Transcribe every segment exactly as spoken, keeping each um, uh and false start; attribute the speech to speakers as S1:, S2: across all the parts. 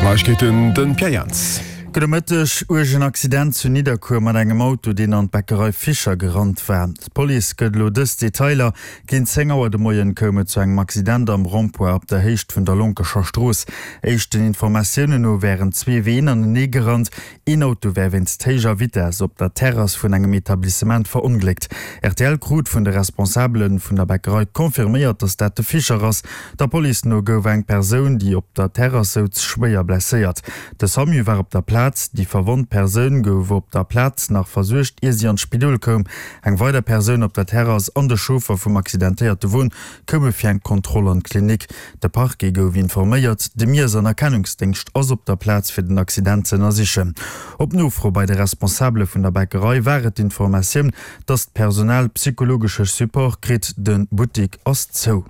S1: Neiegkeeten, den Pierre Jans.
S2: Gudde Mëtteg. Uergen Accident zu Nidderkuer mat engem Auto, deen an d'Bäckerei Fischer gerannt war. D'Police gëtt elo dës Detailer, Géint zéng Auer de Moien koum et zu engem Accident am Rond-point op der Héicht vun der Lonkescher Strooss. Éischten Informatiounen no wären zwee Ween anenee gerannt. Een Auto wär wéinst héijer Vitess op der Terrass vun engem Etablissement verongléckt. Rtl krut vun de Responsabele vun der Bäckerei confirméiert, datt dat de Fischer ass. Der Police no gouf eng Persoun, déi op der Terrass souz, schwéier blesséiert. De Samu war op der Plaz. Déi verwonnt Persoun gouf op der Plaz nach versuergt, ier si an d'Spidol koum. Eng weider Persoun op der Terrass an de Chauffer vum accidentéierte Won koume fir eng Kontroll an d'Klinik. De Parquet gouf informéiert. De Miess an Erkennungsdéngscht ass op der Plaz fir den Accident ze ënnersichen. Op Nofro bei de Responsabele vun der Bäckerei war et d'Informatioun, dass d'Personal psychologesche Support kritt. De Buttik ass zou.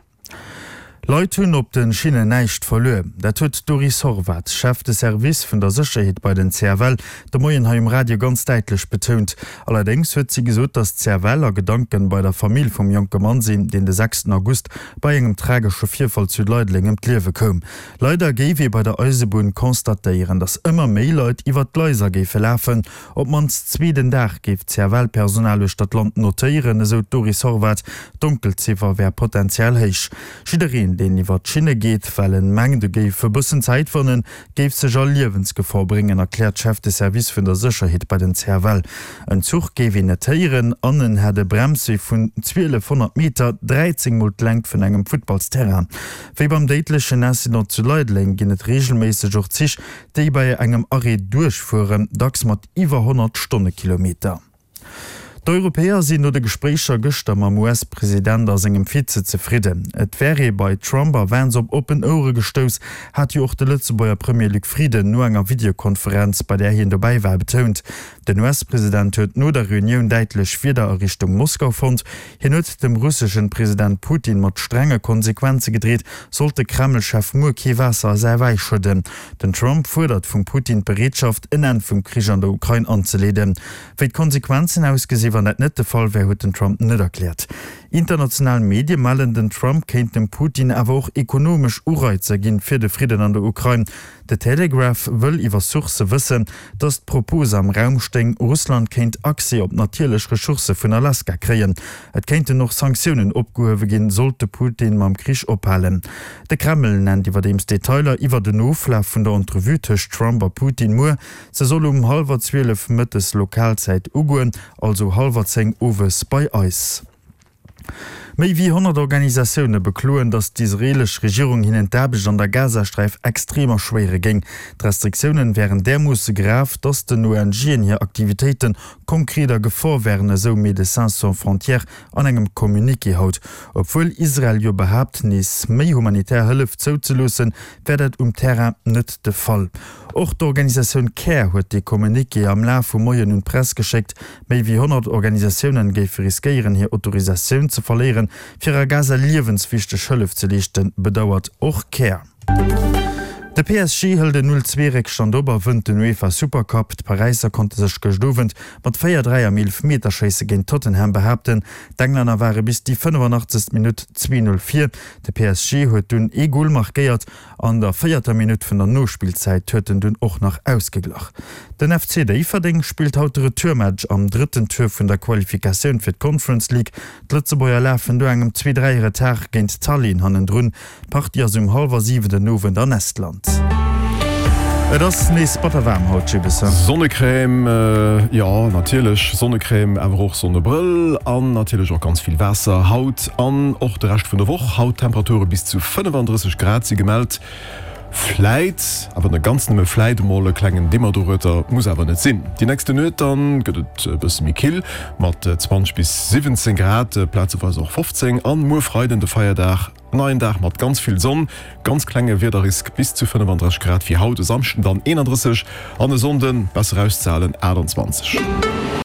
S2: Leit hunn op de Schinnen näischt verluer. Dat huet d'Doris Horvath, Chef de Service vun der Sécherheet bei den C F L, de Moien hei um Radio ganz däitlech betount. Allerdéngs huet si gesot, datt d'C F L a Gedanken bei der Famill vum jonke Mann sinn, deen de sechsten August bei engem tragesche Virfall zu Leideleng ëm d'Liewe koum. Leider géif ee bei der Eisebunn constatéieren, datt ëmmer méi Leit iwwer d'Gleiser géife lafen. Op d'mannst zwee den Dag géif d'C F L-Personal uechter d'Land notéieren, esou d'Doris Horvath. D'Donkelziffer wär potenziell héich. Jiddereen, deen iwwer d'Schinne geet, well en mengt, e géif e bëssen Zäit wannen, géif sech a Liewensgefor bréngen, erkläert d'Chef de Service vun der Sécherheet bei den C F L. En Zuch géif een net héieren an en hätt e Bremswee vun zwielefhonnert Meter, dräizéng mol d'Längt vun engem Futtballsterrain. Wéi beim déidlechen Incident zu Leideleng ginn et reegelméisseg och Zich, déi bei engem Arrêt duerchfueren, dacks mat iwwer honnert Stonnekilometer. D'Europäer sinn no de Gespréicher gëschter mam U S-President a sengem Vize zefridden. Et wär ee bei Trump a Vance op oppen Ouere gestouss, hat jo och de Lëtzebuerger Premier Luc Frieden no enger Videokonferenz, bei där hien dobäi war, betount. Den U S-President huet no der Reunioun däitlech Wierder a Richtung Moskau fonnt. Hien huet dem russeschen President Putin mat strenge Konsequenze gedreet, sollt de Kreml-Chef muer kee Waasser a säi Wäi schëdden. Den Trump fuerdert vum Putin d'Bereetschaft, en Enn vum Krich an der Ukrain anzeleeden. Wéi d'Konsequenzen ausgesinn, wann dat net de Fall wär, huet den Trump net erkläert. International Medie mellen, den Trump kéint dem Putin awer och ekonomesch Ureizer ginn, fir de Fridden an der Ukrain. The Telegraph wëll iwwer Sourcë wëssen, datt d'Propos am Raum stéing, Russland kéint Accès op natierlech Ressourcë vun Alaska kréien. Et kéinten och Sanktiounen opgehuewe ginn, sollt de Putin mam Krich ophalen. De Kreml nennt iwwerdeems Detailer iwwer den Oflaf vun der Entrevue tëscht Trump a Putin muer. Se soll um hallwer zwielef mëttes Lokalzäit ugoen, also hallwer zéng owes bei eis. Méi wéi honnert Organisatioune bekloen, datt d'israeelesch Regierung hinnen d'Aarbecht an der Gazasträif extrem erschwéiere géing. D'Restriktiounen wären därmoosse grav, datt den O N G'en hir Aktivitéite konkret a Gefor wären, esou Médecins Sans Frontières an engem Communiqué haut. Obwuel Israel jo behaapt, nees méi humanitär Hëllef zouzeloossen, wär dat um Terrain net de Fall. Och d'Organisatioun Care huet dee Communiqué am Laf vum Moien un d'Press geschéckt. Méi wéi honnert Organisatiounen géife riskéieren, hir Autorisatioun ze verléieren, fir a Gaza liewenswichteg Hëllef ze leeschten, bedauert och Care. De P S G hëlt en null zwee Réckstand op a wënnt den UEFA Supercup. D'Paräisser konnte sech gëscht Owend mat véier dräi am Eelefmeterschéisse géint Tottenham behaapten. D'Englänner ware bis déi fënnefanachtzegscht Minutt zwee null vir. De P S G huet dunn ee Gol markéiert. An der véierter Minutt vun der Nospillzäit huet en dunn och nach ausgeglach. Den F C Déifferdeng spillt haut de Retourmatch am drëtten Tour vun der Qualifikatioun fir d'Conference League. D'Lëtzebuerger lafen do engem zwee dräi Retard géint Tallinn hannendrun. D'Partie ass um hallwer siwen den Owend an Estland. Et ass nees batter waarm haut, Jibbes.
S1: Sonnecrème, jo natierlech Sonnecrème, awer och Sonnebrëll an natierlech och ganz vill Waasser haut an och de Rescht vun der Woch. Haut Temperature bis zu fënnefandrësseg Grad si gemellt. Vläit, awer net ganz nëmme vläit, emol e klengen Dimmer dorueter, muss awer net sinn. Déi nächste Nuet dann gëtt et e bësse méi kill mat zwanzeg bis siwwenzéng Grad, plazeweis och fofzéng. An muer Freiden, de Feierdag, neien Dag mat ganz vill Sonn, ganz klenge Wiederrisk, bis zu fënnefandrësseg Grad wéi haut, e Samschden dann eenandrësseg an e Sonnden, besser auszehalen, aachtanzwanzeg.